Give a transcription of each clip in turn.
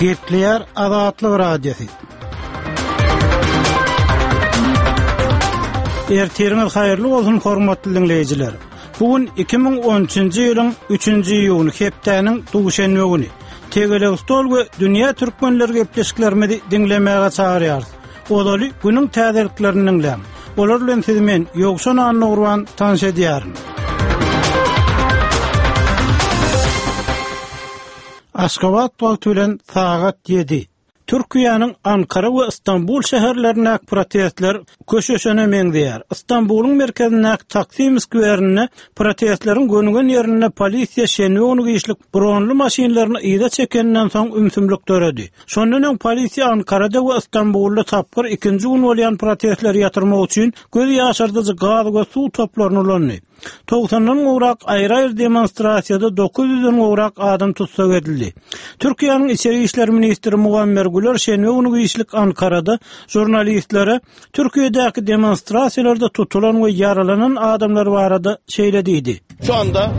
Gepleýär Azatlyk Radiosy. Ertiriňiz haýyrly bolsun hormatly diňleýjiler. Bu gün 2013-nji ýylyň 3-nji iýuny hepdäniň duşenbe güni. Tegelek stol we dünýä türkmenleri gepleşiklerimizi diňlemäge çagyrýarys. Ozaly günüň täzeliklerini diňläň. Olar bilen sizi men, Ýowşan Annagurban, tanyş edýärin. Aşgabat wagty bilen sagat ýedi. Türkiýäniň Ankara we Stambul şäherlerindäki protestler köşeşene meňzeýär. Stambulyň merkezindäki Taksim skwerinde protestleriň gönügen ýerinde polisiýa şenbe güni giçlik bronly maşynlaryny yza çekeninden soň ümsümlik döredi. Şondan öň polisiýa Ankarada we Stambulda tapgyr ikinji gün bolýan protestleri ýatyrmak üçin göz ýaşardyjy gaz we suw toplaryny ulandy. Togsandan gowrak aýry-aýry demonstrasiýada 900-den gowrak adam tussag edildi. Türkiýäniň içeri işler ministri Muammer Güler şenbe güni giçlik Ankarada žurnalistlere Türkiýedäki demonstrasiýalarda tutulan we ýaralanan adamlar barada şeýle diýdi. Şu anda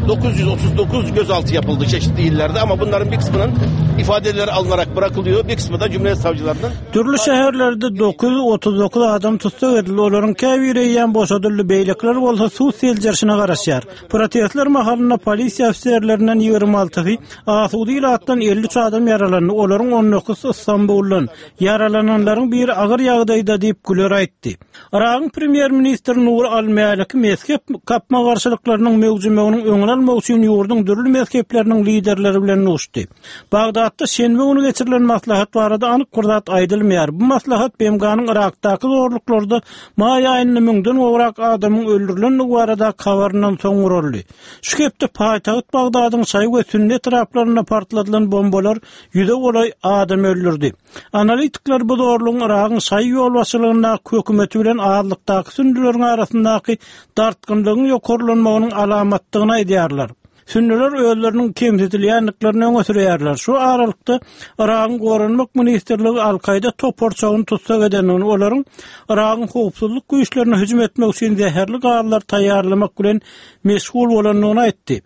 939 gözaltı yapıldı çeşitli illerde ama bunların bir kısmının ifadeleri alınarak bırakılıyor. Bir kısmı da Cumhuriyet savcılarının. Dürli şäherlerde 939 adam tussag edildi. Olaryň käbiri eýýäm boşadyldy, beýlekiler bolsa sud seljerişine garaşýar. Protestler mahalynda polisiýa ofiserlerinden 26-sy, asuda ilatdan 53 adam ýaralandy, olaryň on dokuzysy Stambuldan. Ýaralananlaryň biri agyr ýagdaýda diýip, Güler aýtdy. Yragyň premýer-ministri Nuri al-Mäliki mezhep gapma-garşylyklarynyň möwjemeginiň öňüni almak üçin ýurduň dürli mezhepleriniň liderleri bilen duşdy. Bagdatda şenbe güni geçirilen maslahat barada anyk bir zat aýdylmaýar. Bu maslahat BMG-niň Yrakdaky zorluklarda maý aýynda müňden gowrak adamyň öldürilendigi baradaky habaryndan soň guraldy. Şu hepde paýtagt Bagdadyň şaýy we sünni etraplarynda partladylan bombalar ýüze golaý adam öldürdi. Analitikler bu zorlugyň Yragyň şaýy ýolbaşçylygyndaky hökümeti bilen azlykdaky sünnüleriň arasyndaky dartgynlygyň ýokarlanmagynyň alamatdygyny aýdýarlar. Sünnüler özleriniň kemsidilýändiklerini öňe sürýärler. Şu aralykda Yragyň Goranmak ministrligi Al-Kaýda toparçagyny tussag edendigini, olaryň Yragyň howpsuzlyk güýçlerine hüjüm etmek üçin zäherli gazlar taýýarlamak bilen meşgul bolandygyny aýtdy.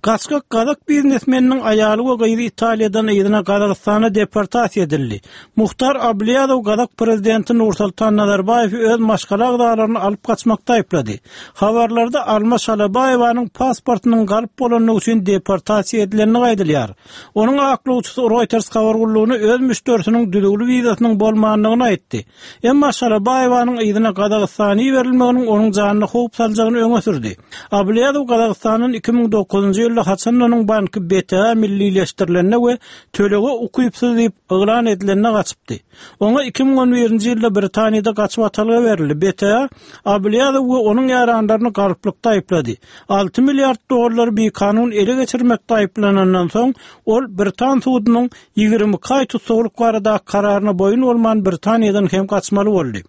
Gaçgak gazak biznesmeniniň aýaly we gyzy Italiýadan yzyna Gazagystana deportasiýa edildi. Muhtar Ablýazow gazak prezidenti Nursultan Nazarbaýewi öz maşgala agzalaryny alyp gaçmakda aýyplady. Habarlarda Alma Şalabaýewanyň pasportynyň galp bolandygy üçin deportasiýa edilendigi aýdylýar. Onuň aklawçysy Reuters habar gullugyna öz müşderisiniň düzüwli wizasynyň bolmandygyny aýtdy. Emma Şalabaýewanyň yzyna Gazagystana iberilmeginiň onuň janyna howp saljagyny öňe sürdi. Ablýazow Gazagystandan 2009-njy ýylda haçan-da onuň banky BTA millileşdirilende we tölege ukypsyz diýip yglan edilende gaçypdy. Oňa 2011-nji ýylda Britaniýada gaçybatalga berildi. BTA Ablýazow we onuň ýaranlaryny galplykda aýyplady. Alty milliard dollary bikanun ele geçirmekde aýyplanandan soň, ol britan sudunyň 22 aý tussaglyk baradaky kararyna boýun bolman Britaniýadan hem gaçmaly boldy.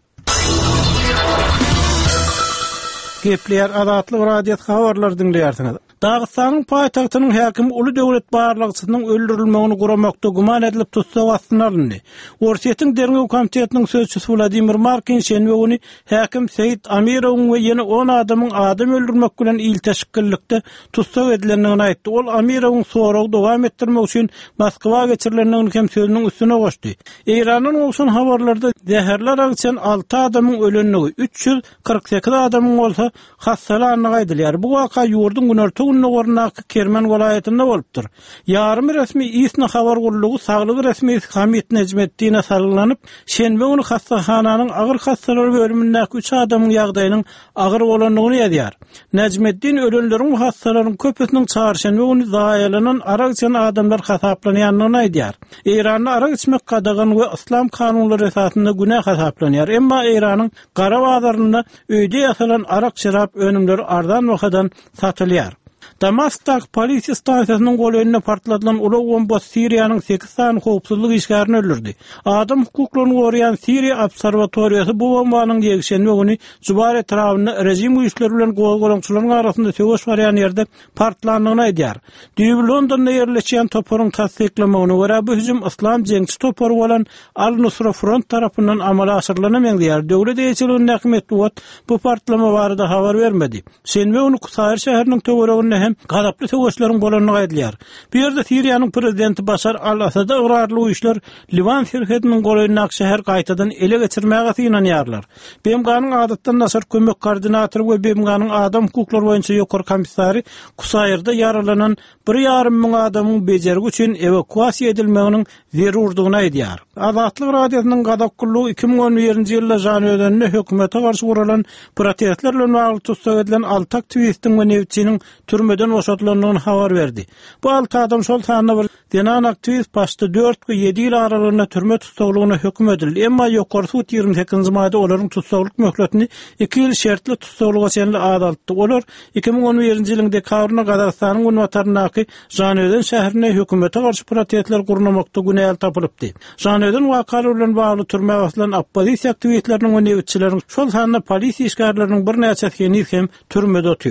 Gepleýär Azatlyk Radiosy habarlary diňleýärsiňiz. Dagystanyň paýtagtynyň häkimi uly döwlet barlagçysynyň öldürilmegini guramakda güman edilip tussag astyna alyndy. Orsýetiň derňew komitetiniň sözçüsi Wladimir Markin şenbe güni häkim Seýit Amirowyň we ýene on adamyň adam öldürmek bilen ilteşiklilikde tussag edilendigini aýtdy. Ol Amirowyň soragy dowam etdirmek üçin Moskwa geçirilendigini hem sözüniň üstüne goşdy. Eýrandan gowşan habarlarda zäherli arak içen alty adamyň ölendigi, 348 adamyň bolsa hassalandygy aýdylýar. Bu waka ýurduň günorta-gündogaryndaky Kermen welaýatynda bolupdyr. Ýarym resmi ISNA habar gullugy saglyk resmisi Hamid Nejmeddine salgylanyp, şenbe güni hassahananyň agyr hassalar bölümindäki üç adamyň ýagdaýynyň agyr bolandygyny ýazýar. Nejmeddin ölenleriň we hassalaryň köpüsiniň çarşenbe güni zaýalanan arak içen adamlar hasaplanýandygyny aýdýar. Eýranda arak içmek gadagan we yslam kanunlary esasynda günä hasaplanýar. Emma Eýranyň gara bazarynda öýde ýasalan arak-şerap önümleri arzan bahadan satylýar. Damaskdaky polisiýa stansiýasynyň golaýynda partladylan ulag bombasy Siriýanyň sekiz sany howpsuzlyk işgärini öldürdi. Adam hukuklaryny goraýan Siriýa obserwatoriýasy bu bombanyň ýekşenbe güni Jubar etrabynda režim güýçleri bilen gozgalaňçylaryň arasynda söweş barýan ýerde partlandygyny aýdýar. Düýbi Londonda ýerleşýän toparyň tassyklamagyna görä, bu hüjüm yslam jeňçi topary bolan Al-Nusra Front tarapyndan amala aşyrylana meňzeýär. Döwlet eýeçiligindäki metbugat bu partlama barada habar bermedi. Şenbe güni Kusaýr şäheriniň töwereginde hem. şäherinde hem gazaply söweşleriň bolandygy aýdylýar. Bu ýerde Siriýanyň prezidenti Başar al-Assada ygrarly güýçler Liwan serhediniň golaýyndaky şäheri gaýtadan ele geçirmäge synanýarlar. BMG-niň adatdan daşary kömek koordinatory we BMG-niň adam hukuklary boýunça ýokary komissary Kusaýrda ýaralanan bir ýarym müň adamyň bejergi üçin ewakuasiýa edilmeginiň zerurdygyny aýdýar. Azatlyk Radiosynyň Gazak gullugy 2011-nji ýylda Žanaözende hökümete garşy guralan protestler bilen bagly tussag edilen alty aktiwistiň we nebitçiniň türmeden boşadylandygyny habar berdi. Bu alty adam, şol sanda bir Zenan aktiwist başda dört we ýedi ýyl aralygynda türme tussaglygyna höküm edildi, emma ýokary sud 28 nji maýda olaryň tussaglyk möhletini iki ýyl şertli tussaglyga çenli azaltdy. Olar 2011-nji ýylyň dekabrynda Gazagystanyň günbataryndaky Žanaözen şäherinde hökümete garşy protestler gurnamakda günäli tapylypdy. Žanaözen wakalary bilen bagly türmä basylan oppozisiýa aktiwistleriniň we nebitçileriň, şol sanda polisiýa işgärleriniň birnäçesi heniz hem türmede otyr.